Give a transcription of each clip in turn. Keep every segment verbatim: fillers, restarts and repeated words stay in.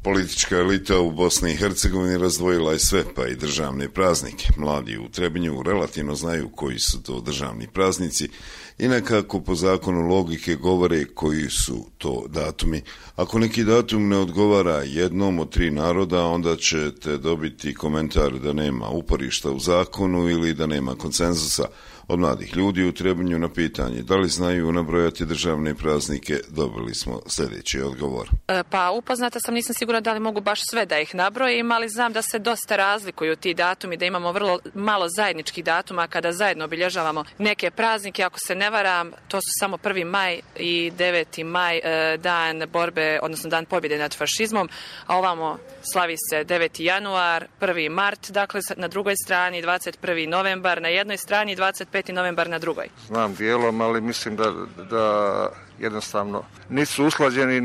Politička elita u Bosni i Hercegovini razdvojila je sve, pa i državne praznike. Mladi u Trebinju relativno znaju koji su to državni praznici i nekako po zakonu logike govore koji su to datumi. Ako neki datum ne odgovara jednom od tri naroda, onda ćete dobiti komentar da nema uporišta u zakonu ili da nema konsenzusa. Od mladih ljudi u Trebinju na pitanje da li znaju nabrojati državne praznike, dobili smo sljedeći odgovor. E, pa upoznata sam, nisam sigurna da li mogu baš sve da ih nabrojim, ali znam da se dosta razlikuju ti datumi, da imamo vrlo malo zajedničkih datuma kada zajedno obilježavamo neke praznike. Ako se ne varam, to su samo prvi maj i deveti maj, e, dan borbe, odnosno dan pobjede nad fašizmom, a ovamo slavi se deveti januar, prvi mart, dakle na drugoj strani dvadeset prvi novembar, na jednoj strani dvadeset peti novembar na drugoj. Znam dijelom, ali mislim da, da jednostavno nisu usklađeni,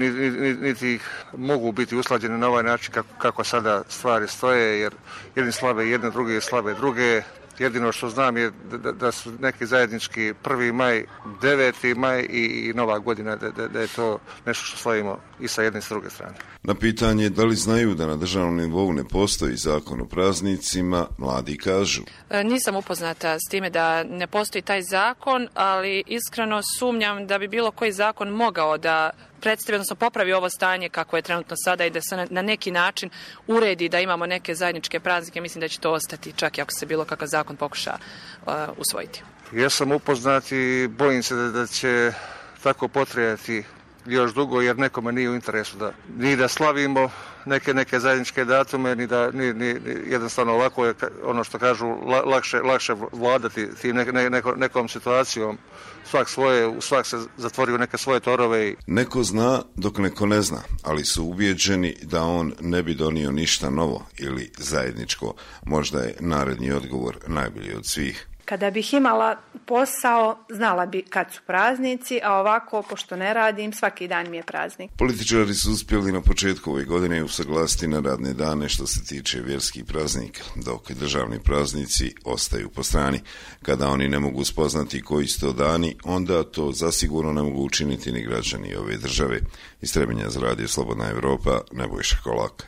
niti ih mogu biti usklađeni na ovaj način kako, kako sada stvari stoje, jer jedni slave jedne, druge slave druge. Jedino što znam je da, da su neki zajednički prvi maj, deveti maj i, i nova godina, da, da, da je to nešto što slavimo i sa jedne i s druge strane. Na pitanje da li znaju da na državnom nivou ne postoji zakon o praznicima, mladi kažu. E, nisam upoznata s time da ne postoji taj zakon, ali iskreno sumnjam da bi bilo koji zakon mogao da predstavi, odnosno popravi ovo stanje kako je trenutno sada i da se na neki način uredi da imamo neke zajedničke praznike. Mislim da će to ostati čak i ako se bilo kakav zakon pokuša uh, usvojiti. Ja sam upoznat i bojim se da, da će tako potrajati još dugo, jer nekome nije u interesu da ni da slavimo neke neke zajedničke datume, ni da ni, ni, jednostavno ovako je ono što kažu lakše lakše vladati tim ne, ne, neko, nekom situacijom. Svak svoje, svak se zatvori u neke svoje torove. I... Neko zna dok neko ne zna, ali su ubijeđeni da on ne bi donio ništa novo ili zajedničko. Možda je naredni odgovor najbolji od svih. Kada bih imala posao, znala bi kad su praznici, a ovako, pošto ne radim, svaki dan mi je praznik. Političari su uspjeli na početku ove godine usaglasiti na radne dane što se tiče vjerskih praznika, dok državni praznici ostaju po strani. Kada oni ne mogu spoznati koji su to dani, onda to zasigurno ne mogu učiniti ni građani ove države. Iz Trebinja za radio Slobodna Evropa, Nebojša Kolak.